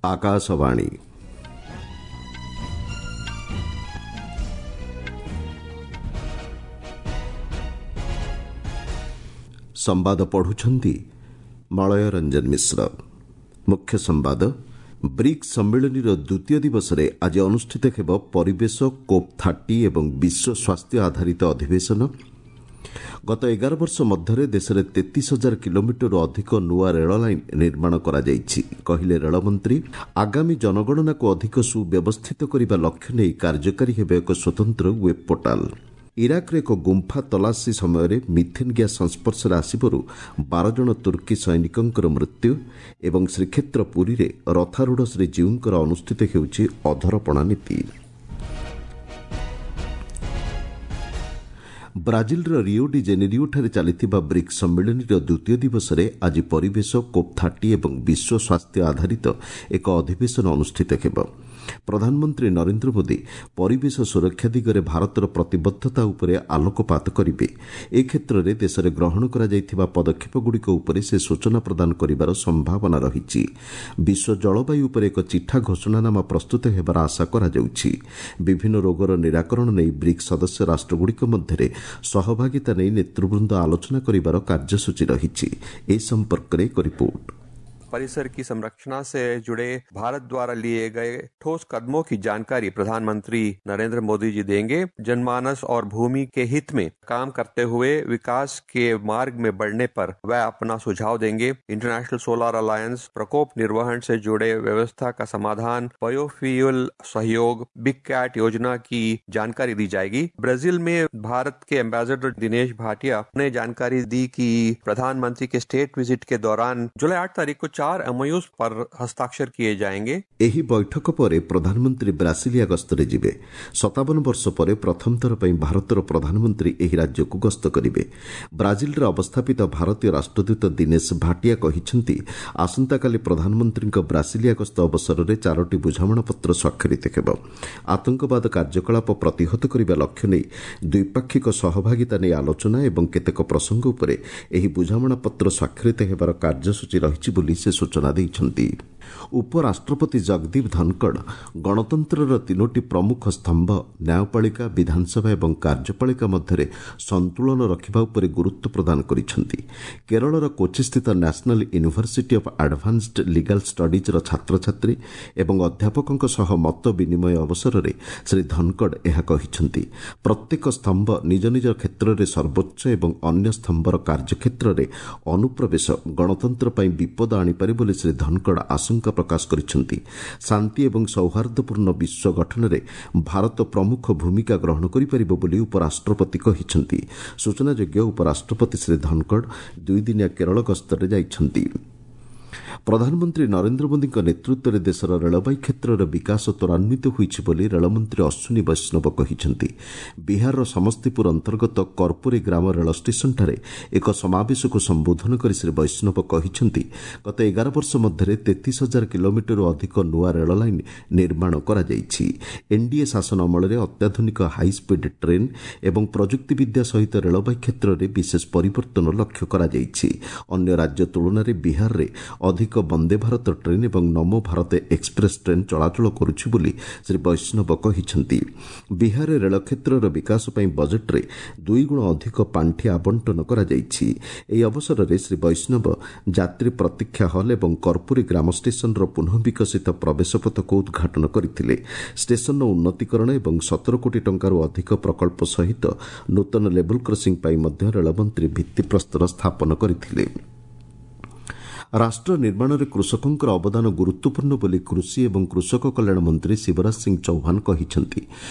ଆକାଶବାଣୀ। ସମ୍ବାଦ ପଢୁଛନ୍ତି ମଳୟ ରଞ୍ଜନ ମିଶ୍ର। ମୁଖ୍ୟ ସମ୍ବାଦ। ବ୍ରିକ୍ସ ସମ୍ମିଳନୀର ଦ୍ୱିତୀୟ ଦିବସରେ ଆଜି ଅନୁଷ୍ଠିତ ହେବ ପରିବେଶ, କୋପ୍ 30 ଏବଂ ବିଶ୍ୱ ସ୍ୱାସ୍ଥ୍ୟ ଆଧାରିତ ଅଧିବେଶନ। ଗତ 11 ବର୍ଷ ମଧ୍ୟରେ ଦେଶରେ 33 ହଜାର କିଲୋମିଟରରୁ ଅଧିକ ନୂଆ ରେଳ ଲାଇନ୍ ନିର୍ମାଣ କରାଯାଇଛି, କହିଲେ ରେଳମନ୍ତ୍ରୀ। ଆଗାମୀ ଜନଗଣନାକୁ ଅଧିକ ସୁବ୍ୟବସ୍ଥିତ କରିବା ଲକ୍ଷ୍ୟ ନେଇ କାର୍ଯ୍ୟକାରୀ ହେବ ଏକ ସ୍ୱତନ୍ତ୍ର ୱେବ୍ ପୋର୍ଟାଲ୍। ଇରାକର ଏକ ଗୁମ୍ଫା ତଲାସୀ ସମୟରେ ମିଥେନ୍ ଗ୍ୟାସ୍ ସଂସ୍ପର୍ଶରେ ଆସିବାରୁ 12 ଜଣ ତୁର୍କୀ ସୈନିକଙ୍କର ମୃତ୍ୟୁ। ଏବଂ ଶ୍ରୀକ୍ଷେତ୍ର ପୁରୀରେ ରଥାରୂଢ଼ ଶ୍ରୀଜୀଉଙ୍କର ଅନୁଷ୍ଠିତ ହେଉଛି ଅଧରପଣା ନୀତି। ବ୍ରାଜିଲର ରିଓ ଡି ଜେନେରିଓଠାରେ ଚାଲିଥିବା ବ୍ରିକ୍ସ ସମ୍ମିଳନୀର ଦ୍ୱିତୀୟ ଦିବସରେ ଆଜି ପରିବେଶ, କୋପ୍ 30 ଏବଂ ବିଶ୍ୱ ସ୍ୱାସ୍ଥ୍ୟ ଆଧାରିତ ଏକ ଅଧିବେଶନ ଅନୁଷ୍ଠିତ ହେବ। ପ୍ରଧାନମନ୍ତ୍ରୀ ନରେନ୍ଦ୍ର ମୋଦି ପରିବେଶ ସୁରକ୍ଷା ଦିଗରେ ଭାରତର ପ୍ରତିବଦ୍ଧତା ଉପରେ ଆଲୋକପାତ କରିବେ। ଏ କ୍ଷେତ୍ରରେ ଦେଶରେ ଗ୍ରହଣ କରାଯାଇଥିବା ପଦକ୍ଷେପଗୁଡ଼ିକ ଉପରେ ସେ ସୂଚନା ପ୍ରଦାନ କରିବାର ସମ୍ଭାବନା ରହିଛି। ବିଶ୍ୱ ଜଳବାୟୁ ଉପରେ ଏକ ଚିଠା ଘୋଷଣାନାମା ପ୍ରସ୍ତୁତ ହେବାର ଆଶା କରାଯାଉଛି। ବିଭିନ୍ନ ରୋଗର ନିରାକରଣ ନେଇ ବ୍ରିକ୍ସ ସଦସ୍ୟ ରାଷ୍ଟ୍ରଗୁଡ଼ିକ ମଧ୍ୟରେ ସହଭାଗିତା ନେଇ ନେତୃବୃନ୍ଦ ଆଲୋଚନା କରିବାର କାର୍ଯ୍ୟସୂଚୀ ରହିଛି। ଏ ସମ୍ପର୍କରେ ଏକ ରିପୋର୍ଟ। परिसर की संरक्षणा से जुड़े भारत द्वारा लिए गए ठोस कदमों की जानकारी प्रधानमंत्री नरेंद्र मोदी जी देंगे। जनमानस और भूमि के हित में काम करते हुए विकास के मार्ग में बढ़ने पर वह अपना सुझाव देंगे। इंटरनेशनल सोलर अलायंस, प्रकोप निर्वहन से जुड़े व्यवस्था का समाधान, बायोफ्यूल सहयोग, बिग कैट योजना की जानकारी दी जाएगी। ब्राजील में भारत के एम्बेसडर दिनेश भाटिया ने जानकारी दी कि प्रधानमंत्री के स्टेट विजिट के दौरान जुलाई 8 तारीख को 4 एमओयू पर हस्ताक्षर किए जाएंगे। ଏହି ବୈଠକ ପରେ ପ୍ରଧାନମନ୍ତ୍ରୀ ବ୍ରାସିଲିଆ ଗସ୍ତରେ ଯିବେ। 57 ବର୍ଷ ପରେ ପ୍ରଥମ ଥର ପାଇଁ ଭାରତର ପ୍ରଧାନମନ୍ତ୍ରୀ ଏହି ରାଜ୍ୟକୁ ଗସ୍ତ କରିବେ। ବ୍ରାଜିଲରେ ଅବସ୍ଥାପିତ ଭାରତୀୟ ରାଷ୍ଟ୍ରଦୂତ ଦିନେଶ ଭାଟିଆ କହିଛନ୍ତି, ଆସନ୍ତାକାଲି ପ୍ରଧାନମନ୍ତ୍ରୀଙ୍କ ବ୍ରାସିଲିଆ ଗସ୍ତ ଅବସରରେ 4ଟି ବୁଝାମଣାପତ୍ର ସ୍ୱାକ୍ଷରିତ ହେବ। ଆତଙ୍କବାଦ କାର୍ଯ୍ୟକଳାପ ପ୍ରତିହତ କରିବା ଲକ୍ଷ୍ୟ ନେଇ ଦ୍ୱିପାକ୍ଷିକ ସହଭାଗିତା ନେଇ ଆଲୋଚନା ଏବଂ କେତେକ ପ୍ରସଙ୍ଗ ଉପରେ ଏହି ବୁଝାମଣାପତ୍ର ସ୍ୱାକ୍ଷରିତ ହେବାର କାର୍ଯ୍ୟସୂଚୀ ରହିଛି ବୋଲି ସେ ସୂଚନା ଦେଇଛନ୍ତି। ଉପରାଷ୍ଟ୍ରପତି ଜଗଦୀପ ଧନକଡ଼ ଗଣତନ୍ତ୍ରର ତିନୋଟି ପ୍ରମୁଖ ସ୍ତମ୍ଭ ନ୍ୟାୟପାଳିକା, ବିଧାନସଭା ଏବଂ କାର୍ଯ୍ୟପାଳିକା ମଧ୍ୟରେ ସନ୍ତୁଳନ ରଖିବା ଉପରେ ଗୁରୁତ୍ୱ ପ୍ରଦାନ କରିଛନ୍ତି। କେରଳର କୋଚିସ୍ଥିତ national university of advanced legal ଷ୍ଟଡିଜ୍ର ଛାତ୍ରଛାତ୍ରୀ ଏବଂ ଅଧ୍ୟାପକଙ୍କ ସହ ମତ ବିନିମୟ ଅବସରରେ ଶ୍ରୀ ଧନକଡ଼ ଏହା କହିଛନ୍ତି। ପ୍ରତ୍ୟେକ ସ୍ତମ୍ଭ ନିଜ ନିଜ କ୍ଷେତ୍ରରେ ସର୍ବୋଚ୍ଚ ଏବଂ ଅନ୍ୟ ସ୍ତମ୍ଭର କାର୍ଯ୍ୟକ୍ଷେତ୍ରରେ ଅନୁପ୍ରବେଶ ଗଣତନ୍ତ୍ର ପାଇଁ ବିପଦ ଆଣିପାରେ ବୋଲି ଶ୍ରୀ ଧନକଡ଼ ଆଶଙ୍କା ପ୍ରକାଶ କରିଛନ୍ତି। ଶାନ୍ତି ଏବଂ ସୌହାର୍ଦ୍ଦ୍ୟପୂର୍ଣ୍ଣ ବିଶ୍ୱ ଗଠନରେ ଭାରତ ପ୍ରମୁଖ ଭୂମିକା ଗ୍ରହଣ କରିପାରିବ ବୋଲି ଉପରାଷ୍ଟ୍ରପତି କହିଛନ୍ତି। ସୂଚନାଯୋଗ୍ୟ, ଉପରାଷ୍ଟ୍ରପତି ଶ୍ରୀ ଧନକଡ଼ ଦୁଇଦିନିଆ କେରଳ ଗସ୍ତରେ ଯାଇଛନ୍ତି। ପ୍ରଧାନମନ୍ତ୍ରୀ ନରେନ୍ଦ୍ର ମୋଦିଙ୍କ ନେତୃତ୍ୱରେ ଦେଶର ରେଳବାଇ କ୍ଷେତ୍ରର ବିକାଶ ତ୍ୱରାନ୍ୱିତ ହୋଇଛି ବୋଲି ରେଳମନ୍ତ୍ରୀ ଅଶ୍ୱିନୀ ବୈଷ୍ଣବ କହିଛନ୍ତି। ବିହାରର ସମସ୍ତିପୁର ଅନ୍ତର୍ଗତ କର୍ପୁରୀ ଗ୍ରାମ ରେଳ ଷ୍ଟେସନଠାରେ ଏକ ସମାବେଶକୁ ସମ୍ବୋଧନ କରି ଶ୍ରୀ ବୈଷ୍ଣବ କହିଛନ୍ତି, ଗତ 11 ବର୍ଷ ମଧ୍ୟରେ 33 ହଜାର କିଲୋମିଟରରୁ ଅଧିକ ନୂଆ ରେଳ ଲାଇନ୍ ନିର୍ମାଣ କରାଯାଇଛି। ଏନ୍ଡିଏ ଶାସନ ଅମଳରେ ଅତ୍ୟାଧୁନିକ ହାଇସ୍ପିଡ୍ ଟ୍ରେନ୍ ଏବଂ ପ୍ରଯୁକ୍ତିବିଦ୍ୟା ସହିତ ରେଳବାଇ କ୍ଷେତ୍ରରେ ବିଶେଷ ପରିବର୍ତ୍ତନ ଲକ୍ଷ୍ୟ କରାଯାଇଛି। ଅନ୍ୟ ରାଜ୍ୟ ତୁଳନାରେ ବିହାରରେ ଅଧିକ ବନ୍ଦେ ଭାରତ ଟ୍ରେନ୍ ଏବଂ ନମୋ ଭାରତ ଏକ୍ସପ୍ରେସ୍ ଟ୍ରେନ୍ ଚଳାଚଳ କରୁଛି ବୋଲି ଶ୍ରୀ ବୈଷ୍ଣବ କହିଛନ୍ତି। ବିହାରରେ ରେଳ କ୍ଷେତ୍ରର ବିକାଶ ପାଇଁ ବଜେଟ୍ରେ ଦୁଇଗୁଣ ଅଧିକ ପାଣ୍ଠି ଆବଣ୍ଟନ କରାଯାଇଛି। ଏହି ଅବସରରେ ଶ୍ରୀ ବୈଷ୍ଣବ ଯାତ୍ରୀ ପ୍ରତୀକ୍ଷା ହଲ୍ ଏବଂ କର୍ପୁରୀ ଗ୍ରାମ ଷ୍ଟେସନର ପୁନଃ ବିକଶିତ ପ୍ରବେଶ ପଥକୁ ଉଦ୍ଘାଟନ କରିଥିଲେ। ଷ୍ଟେସନର ଉନ୍ନତିକରଣ ଏବଂ 17 କୋଟି ଟଙ୍କାରୁ ଅଧିକ ପ୍ରକଳ୍ପ ସହିତ ନୂତନ ଲେବୁଲ୍ କ୍ରସିଂ ପାଇଁ ମଧ୍ୟ ରେଳମନ୍ତ୍ରୀ ଭିତ୍ତିପ୍ରସ୍ତର ସ୍ଥାପନ କରିଥିଲେ। ରାଷ୍ଟ୍ର ନିର୍ମାଣରେ କୃଷକଙ୍କର ଅବଦାନ ଗୁରୁତ୍ୱପୂର୍ଣ୍ଣ ବୋଲି କୃଷି ଏବଂ କୃଷକ କଲ୍ୟାଣ ମନ୍ତ୍ରୀ ଶିବରାଜ ସିଂ ଚୌହାନ କହିଛନ୍ତି।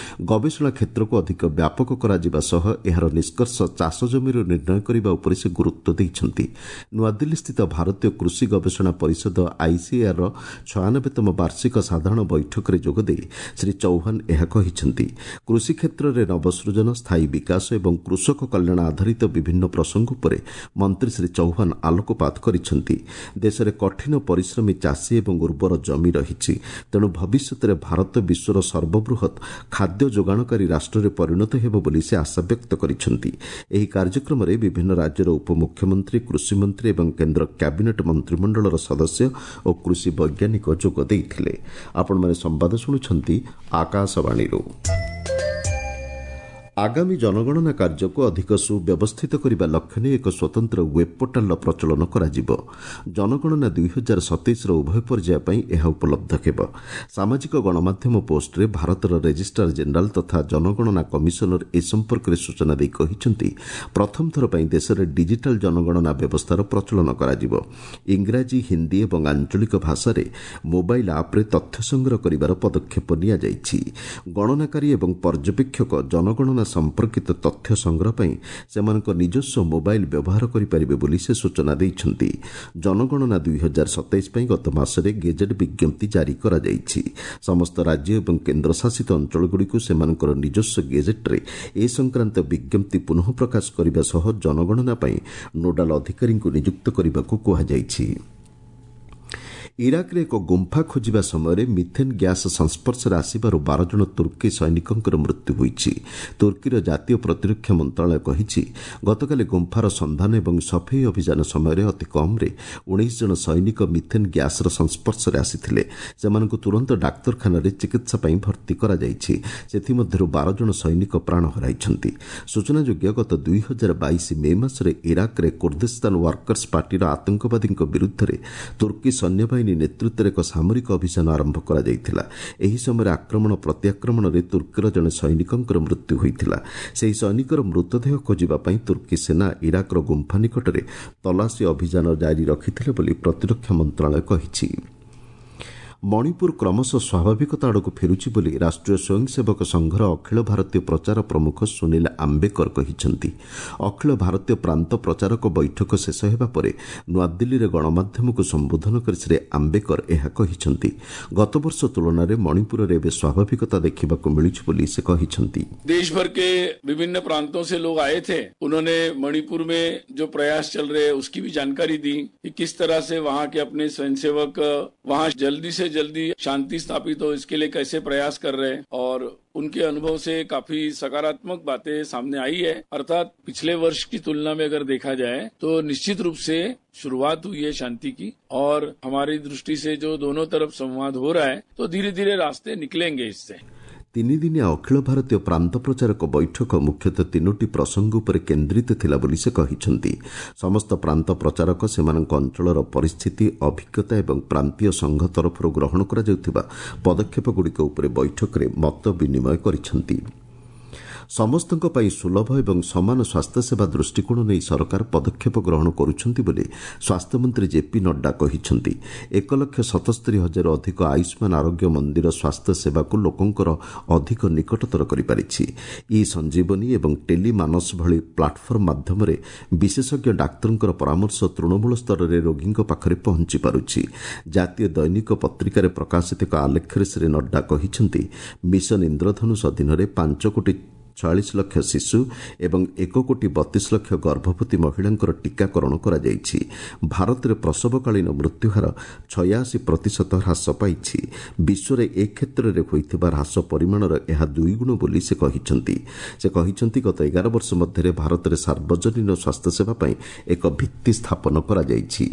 ଗବେଷଣା କ୍ଷେତ୍ରକୁ ଅଧିକ ବ୍ୟାପକ କରାଯିବା ସହ ଏହାର ନିଷ୍କର୍ଷ ଚାଷ ଜମିରୁ ନିର୍ଣ୍ଣୟ କରିବା ଉପରେ ସେ ଗୁରୁତ୍ୱ ଦେଇଛନ୍ତି। ନୂଆଦିଲ୍ଲୀସ୍ଥିତ ଭାରତୀୟ କୃଷି ଗବେଷଣା ପରିଷଦ ଆଇସିଏଆର୍ର 96ତମ ବାର୍ଷିକ ସାଧାରଣ ବୈଠକରେ ଯୋଗଦେଇ ଶ୍ରୀ ଚୌହାନ ଏହା କହିଛନ୍ତି। କୃଷି କ୍ଷେତ୍ରରେ ନବସୃଜନ, ସ୍ଥାୟୀ ବିକାଶ ଏବଂ କୃଷକ କଲ୍ୟାଣ ଆଧାରିତ ବିଭିନ୍ନ ପ୍ରସଙ୍ଗ ଉପରେ ମନ୍ତ୍ରୀ ଶ୍ରୀ ଚୌହାନ ଆଲୋକପାତ କରିଛନ୍ତି। ଦେଶରେ କଠିନ ପରିଶ୍ରମୀ ଚାଷୀ ଏବଂ ଉର୍ବର ଜମି ରହିଛି। ତେଣୁ ଭବିଷ୍ୟତରେ ଭାରତ ବିଶ୍ୱର ସର୍ବବୃହତ୍ ଖାଦ୍ୟ ଯୋଗାଣକାରୀ ରାଷ୍ଟ୍ରରେ ପରିଣତ ହେବ ବୋଲି ସେ ଆଶାବ୍ୟକ୍ତ କରିଛନ୍ତି। ଏହି କାର୍ଯ୍ୟକ୍ରମରେ ବିଭିନ୍ନ ରାଜ୍ୟର ଉପମୁଖ୍ୟମନ୍ତ୍ରୀ, କୃଷିମନ୍ତ୍ରୀ ଏବଂ କେନ୍ଦ୍ର କ୍ୟାବିନେଟ୍ ମନ୍ତ୍ରିମଣ୍ଡଳର ସଦସ୍ୟ ଓ କୃଷି ବୈଜ୍ଞାନିକ ଯୋଗ ଦେଇଥିଲେ। ଆପଣମାନେ ସମ୍ବାଦ ଶୁଣୁଛନ୍ତି ଆକାଶବାଣୀରୁ। ଆଗାମୀ ଜନଗଣନା କାର୍ଯ୍ୟକୁ ଅଧିକ ସୁବ୍ୟବସ୍ଥିତ କରିବା ଲକ୍ଷ୍ୟ ନେଇ ଏକ ସ୍ୱତନ୍ତ୍ର ୱେବ୍ ପୋର୍ଟାଲର ପ୍ରଚଳନ କରାଯିବ। ଜନଗଣନା 2027ର ଉଭୟ ପର୍ଯ୍ୟାୟ ପାଇଁ ଏହା ଉପଲବ୍ଧ ହେବ। ସାମାଜିକ ଗଣମାଧ୍ୟମ ପୋଷ୍ଟରେ ଭାରତର ରେଜିଷ୍ଟ୍ରାର ଜେନେରାଲ ତଥା ଜନଗଣନା କମିଶନର ଏ ସମ୍ପର୍କରେ ସୂଚନା ଦେଇ କହିଛନ୍ତି, ପ୍ରଥମ ଥର ପାଇଁ ଦେଶରେ ଡିଜିଟାଲ ଜନଗଣନା ବ୍ୟବସ୍ଥାର ପ୍ରଚଳନ କରାଯିବ। ଇଂରାଜୀ, ହିନ୍ଦୀ ଏବଂ ଆଞ୍ଚଳିକ ଭାଷାରେ ମୋବାଇଲ ଆପ୍ରେ ତଥ୍ୟ ସଂଗ୍ରହ କରିବାର ପଦକ୍ଷେପ ନିଆଯାଇଛି। ଗଣନାକାରୀ ଏବଂ ପର୍ଯ୍ୟବେକ୍ଷକ ଜନଗଣନା ସମ୍ପର୍କିତ ତଥ୍ୟ ସଂଗ୍ରହ ପାଇଁ ସେମାନଙ୍କ ନିଜସ୍ୱ ମୋବାଇଲ ବ୍ୟବହାର କରିପାରିବେ ବୋଲି ସେ ସୂଚନା ଦେଇଛନ୍ତି। ଜନଗଣନା 2027 ପାଇଁ ଗତ ମାସରେ ଗେଜେଟ୍ ବିଜ୍ଞପ୍ତି ଜାରି କରାଯାଇଛି। ସମସ୍ତ ରାଜ୍ୟ ଏବଂ କେନ୍ଦ୍ରଶାସିତ ଅଞ୍ଚଳଗୁଡ଼ିକୁ ସେମାନଙ୍କର ନିଜସ୍ୱ ଗେଜେଟ୍ରେ ଏ ସଂକ୍ରାନ୍ତ ବିଜ୍ଞପ୍ତି ପୁନଃ ପ୍ରକାଶ କରିବା ସହ ଜନଗଣନା ପାଇଁ ନୋଡାଲ ଅଧିକାରୀଙ୍କୁ ନିଯୁକ୍ତ କରିବାକୁ କୁହାଯାଇଛି। ଇରାକରେ ଏକ ଗୁମ୍ଫା ଖୋଜିବା ସମୟରେ ମିଥେନ୍ ଗ୍ୟାସ୍ ସଂସ୍ପର୍ଶରେ ଆସିବାରୁ 12 ଜଣ ତୁର୍କୀ ସୈନିକଙ୍କର ମୃତ୍ୟୁ ହୋଇଛି। ତୁର୍କୀର ଜାତୀୟ ପ୍ରତିରକ୍ଷା ମନ୍ତ୍ରଣାଳୟ କହିଛି, ଗତକାଲି ଗୁମ୍ଫାର ସନ୍ଧାନ ଏବଂ ସଫେଇ ଅଭିଯାନ ସମୟରେ ଅତି କମ୍ରେ 19 ଜଣ ସୈନିକ ମିଥେନ୍ ଗ୍ୟାସ୍ର ସଂସ୍ପର୍ଶରେ ଆସିଥିଲେ। ସେମାନଙ୍କୁ ତୁରନ୍ତ ଡାକ୍ତରଖାନାରେ ଚିକିତ୍ସା ପାଇଁ ଭର୍ତ୍ତି କରାଯାଇଛି। ସେଥିମଧ୍ୟରୁ 12 ଜଣ ସୈନିକ ପ୍ରାଣ ହରାଇଛନ୍ତି। ସୂଚନାଯୋଗ୍ୟ, ଗତ 2022 ମେ ମାସରେ ଇରାକରେ କୁର୍ଦ୍ଦିସ୍ତାନ ୱାର୍କର୍ସ ପାର୍ଟିର ଆତଙ୍କବାଦୀଙ୍କ ବିରୁଦ୍ଧରେ ତୁର୍କୀ ସୈନ୍ୟବାହିନୀ ନେତୃତ୍ୱରେ ଏକ ସାମରିକ ଅଭିଯାନ ଆରମ୍ଭ କରାଯାଇଥିଲା। ଏହି ସମୟରେ ଆକ୍ରମଣ ପ୍ରତିଆକ୍ରମଣରେ ତୁର୍କୀର ଜଣେ ସୈନିକଙ୍କର ମୃତ୍ୟୁ ହୋଇଥିଲା। ସେହି ସୈନିକର ମୃତଦେହ ଖୋଜିବା ପାଇଁ ତୁର୍କୀ ସେନା ଇରାକର ଗୁମ୍ଫା ନିକଟରେ ତଲାସୀ ଅଭିଯାନ ଜାରି ରଖିଥିଲେ ବୋଲି ପ୍ରତିରକ୍ଷା ମନ୍ତ୍ରଣାଳୟ କହିଛି। ମଣିପୁର କ୍ରମଶଃ ସ୍ୱାଭାବିକତା ଆଡ଼କୁ ଫେରୁଛି ବୋଲି ରାଷ୍ଟ୍ରୀୟ ସ୍ୱୟଂସେବକ ସଂଘର ଅଖିଳ ଭାରତୀୟ ପ୍ରଚାର ପ୍ରମୁଖ ସୁନୀଲ ଆମ୍ବେକର କହିଛନ୍ତି। ଅଖିଳ ଭାରତୀୟ ପ୍ରାନ୍ତ ପ୍ରଚାରକ ବୈଠକ ଶେଷ ହେବା ପରେ ନୂଆଦିଲ୍ଲୀରେ ଗଣମାଧ୍ୟମକୁ ସମ୍ବୋଧନ କରି ଶ୍ରୀ ଆମ୍ବେକର ଏହା କହିଛନ୍ତି। ଗତବର୍ଷ ତୁଳନାରେ ମଣିପୁରରେ ଏବେ ସ୍ୱାଭାବିକତା ଦେଖିବାକୁ ମିଳୁଛି ବୋଲି ସେ କହିଛନ୍ତି। देश भर के विभिन्न प्रांतों से लोग आए थे। उन्होंने मणिपुर में जो प्रयास चल रहे हैं उसकी भी जानकारी दी कि किस तरह से वहाँ के अपने स्वयंसेवक वहाँ जल्दी से जल्दी शांति स्थापित हो इसके लिए कैसे प्रयास कर रहे हैं और उनके अनुभव से काफी सकारात्मक बातें सामने आई है। अर्थात पिछले वर्ष की तुलना में अगर देखा जाए तो निश्चित रूप से शुरुआत हुई है शांति की और हमारी दृष्टि से जो दोनों तरफ संवाद हो रहा है तो धीरे धीरे रास्ते निकलेंगे इससे। ତିନିଦିନିଆ ଅଖିଳ ଭାରତୀୟ ପ୍ରାନ୍ତ ପ୍ରଚାରକ ବୈଠକ ମୁଖ୍ୟତଃ ତିନୋଟି ପ୍ରସଙ୍ଗ ଉପରେ କେନ୍ଦ୍ରିତ ଥିଲା ବୋଲି ସେ କହିଛନ୍ତି। ସମସ୍ତ ପ୍ରାନ୍ତ ପ୍ରଚାରକ ସେମାନଙ୍କ ଅଞ୍ଚଳର ପରିସ୍ଥିତି, ଅଭିଜ୍ଞତା ଏବଂ ପ୍ରାନ୍ତୀୟ ସଂଘ ତରଫରୁ ଗ୍ରହଣ କରାଯାଉଥିବା ପଦକ୍ଷେପଗୁଡ଼ିକ ଉପରେ ବୈଠକରେ ମତ ବିନିମୟ କରିଛନ୍ତି। ସମସ୍ତଙ୍କ ପାଇଁ ସୁଲଭ ଏବଂ ସମାନ ସ୍ୱାସ୍ଥ୍ୟସେବା ଦୃଷ୍ଟିକୋଣ ନେଇ ସରକାର ପଦକ୍ଷେପ ଗ୍ରହଣ କରୁଛନ୍ତି ବୋଲି ସ୍ୱାସ୍ଥ୍ୟମନ୍ତ୍ରୀ ଜେପି ନଡ୍ଡା କହିଛନ୍ତି। 1,77,000ରୁ ଅଧିକ ଆୟୁଷ୍ମାନ ଆରୋଗ୍ୟ ମନ୍ଦିର ସ୍ୱାସ୍ଥ୍ୟ ସେବାକୁ ଲୋକଙ୍କର ଅଧିକ ନିକଟତର କରିପାରିଛି। ଇ ସଞ୍ଜୀବନୀ ଏବଂ ଟେଲି ମାନସ ଭଳି ପ୍ଲାଟଫର୍ମ ମାଧ୍ୟମରେ ବିଶେଷଜ୍ଞ ଡାକ୍ତରଙ୍କର ପରାମର୍ଶ ତୃଣମୂଳ ସ୍ତରରେ ରୋଗୀଙ୍କ ପାଖରେ ପହଞ୍ଚି ପାରୁଛି। ଜାତୀୟ ଦୈନିକ ପତ୍ରିକାରେ ପ୍ରକାଶିତ ଏକ ଆଲେଖ୍ୟରେ ଶ୍ରୀ ନଡ୍ଡା କହିଛନ୍ତି, ମିଶନ ଇନ୍ଦ୍ରଧନୁଷ ଅଧୀନରେ 5 କୋଟି 46 ଲକ୍ଷ ଶିଶୁ ଏବଂ 1 କୋଟି 32 ଲକ୍ଷ ଗର୍ଭବତୀ ମହିଳାଙ୍କର ଟୀକାକରଣ କରାଯାଇଛି। ଭାରତରେ ପ୍ରସବକାଳୀନ ମୃତ୍ୟୁହାର 86% ହ୍ରାସ ପାଇଛି। ବିଶ୍ୱରେ ଏ କ୍ଷେତ୍ରରେ ହୋଇଥିବା ହ୍ରାସ ପରିମାଣର ଏହା ଦୁଇଗୁଣ ବୋଲି ସେ କହିଛନ୍ତି। ସେ କହିଛନ୍ତି, ଗତ 11 ବର୍ଷ ମଧ୍ୟରେ ଭାରତରେ ସାର୍ବଜନୀନ ସ୍ୱାସ୍ଥ୍ୟସେବା ପାଇଁ ଏକ ଭିତ୍ତି ସ୍ଥାପନ କରାଯାଇଛି।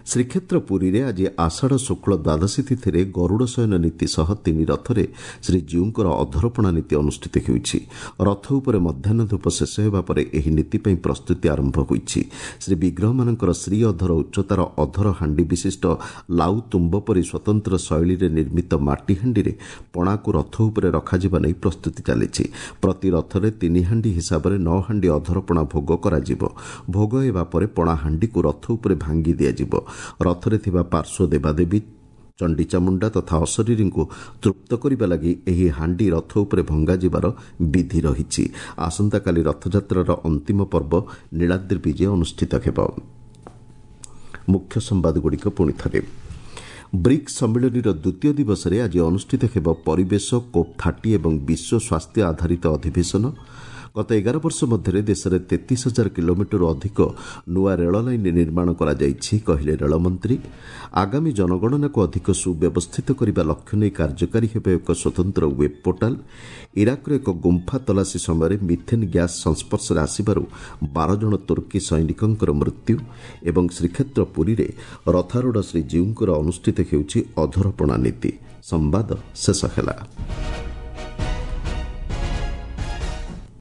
ଶ୍ରୀକ୍ଷେତ୍ର ପୁରୀରେ ଆଜି ଆଷାଢ଼ ଶୁକ୍ଳ ଦ୍ୱାଦଶୀ ତିଥିରେ ଗରୁଡ଼ ଶୟନ ନୀତି ସହ ତିନି ରଥରେ ଶ୍ରୀଜୀଉଙ୍କର ଅଧରପଣା ନୀତି ଅନୁଷ୍ଠିତ ହେଉଛି। ରଥ ଉପରେ ମଧ୍ୟାହ୍ନ ଧୂପ ଶେଷ ହେବା ପରେ ଏହି ନୀତି ପାଇଁ ପ୍ରସ୍ତୁତି ଆରମ୍ଭ ହୋଇଛି। ଶ୍ରୀବିଗ୍ରହମାନଙ୍କର ଶ୍ରୀ ଅଧର ଉଚ୍ଚତାର ଅଧର ହାଣ୍ଡି ବିଶିଷ୍ଟ ଲାଉ ତୁମ୍ବ ପରି ସ୍ୱତନ୍ତ୍ର ଶୈଳୀରେ ନିର୍ମିତ ମାଟି ହାଣ୍ଡିରେ ପଣାକୁ ରଥ ଉପରେ ରଖାଯିବା ନେଇ ପ୍ରସ୍ତୁତି ଚାଲିଛି। ପ୍ରତି ରଥରେ ତିନି ହାଣ୍ଡି ହିସାବରେ 9 ହାଣ୍ଡି ଅଧରପଣା ଭୋଗ କରାଯିବ। ଭୋଗ ହେବା ପରେ ପଣା ହାଣ୍ଡିକୁ ରଥ ଉପରେ ଭାଙ୍ଗି ଦିଆଯିବ। ରଥରେ ଥିବା ପାର୍ଶ୍ୱ ଦେବାଦେବୀ, ଚଣ୍ଡୀଚାମୁଣ୍ଡା ତଥା ଅଶରୀରୀଙ୍କୁ ତୃପ୍ତ କରିବା ଲାଗି ଏହି ହାଣ୍ଡି ରଥ ଉପରେ ଭଙ୍ଗାଯିବାର ବିଧି ରହିଛି। ଆସନ୍ତାକାଲି ରଥଯାତ୍ରାର ଅନ୍ତିମ ପର୍ବ ନୀଳାଦ୍ରି ବିଜେ ଅନୁଷ୍ଠିତ ହେବ। ମୁଖ୍ୟ ସମ୍ବାଦଗୁଡ଼ିକ ପୁଣି ଥରେ। ବ୍ରିକ୍ସ ସମ୍ମିଳନୀର ଦ୍ୱିତୀୟ ଦିବସରେ ଆଜି ଅନୁଷ୍ଠିତ ହେବ ପରିବେଶ, କୋପ୍ 30 ଏବଂ ବିଶ୍ୱ ସ୍ୱାସ୍ଥ୍ୟ ଆଧାରିତ ଅଧିବେଶନ। ଗତ 11 ବର୍ଷ ମଧ୍ୟରେ ଦେଶରେ 33,000 କିଲୋମିଟରରୁ ଅଧିକ ନୂଆ ରେଳ ଲାଇନ୍ ନିର୍ମାଣ କରାଯାଇଛି, କହିଲେ ରେଳମନ୍ତ୍ରୀ। ଆଗାମୀ ଜନଗଣନାକୁ ଅଧିକ ସୁବ୍ୟବସ୍ଥିତ କରିବା ଲକ୍ଷ୍ୟ ନେଇ କାର୍ଯ୍ୟକାରୀ ହେବ ଏକ ସ୍ୱତନ୍ତ୍ର ୱେବ୍ ପୋର୍ଟାଲ। ଇରାକର ଏକ ଗୁମ୍ଫା ତଲାସୀ ସମୟରେ ମିଥେନ୍ ଗ୍ୟାସ୍ ସଂସ୍ପର୍ଶରେ ଆସିବାରୁ 12 ଜଣ ତୁର୍କୀ ସୈନିକଙ୍କର ମୃତ୍ୟୁ ଏବଂ ଶ୍ରୀକ୍ଷେତ୍ର ପୁରୀରେ ରଥାରୂଢ଼ ଶ୍ରୀଜୀଉଙ୍କର ଅନୁଷ୍ଠିତ ହେଉଛି ଅଧରପଣା ନୀତି। ସମ୍ବାଦ ଶେଷ ହେଲା।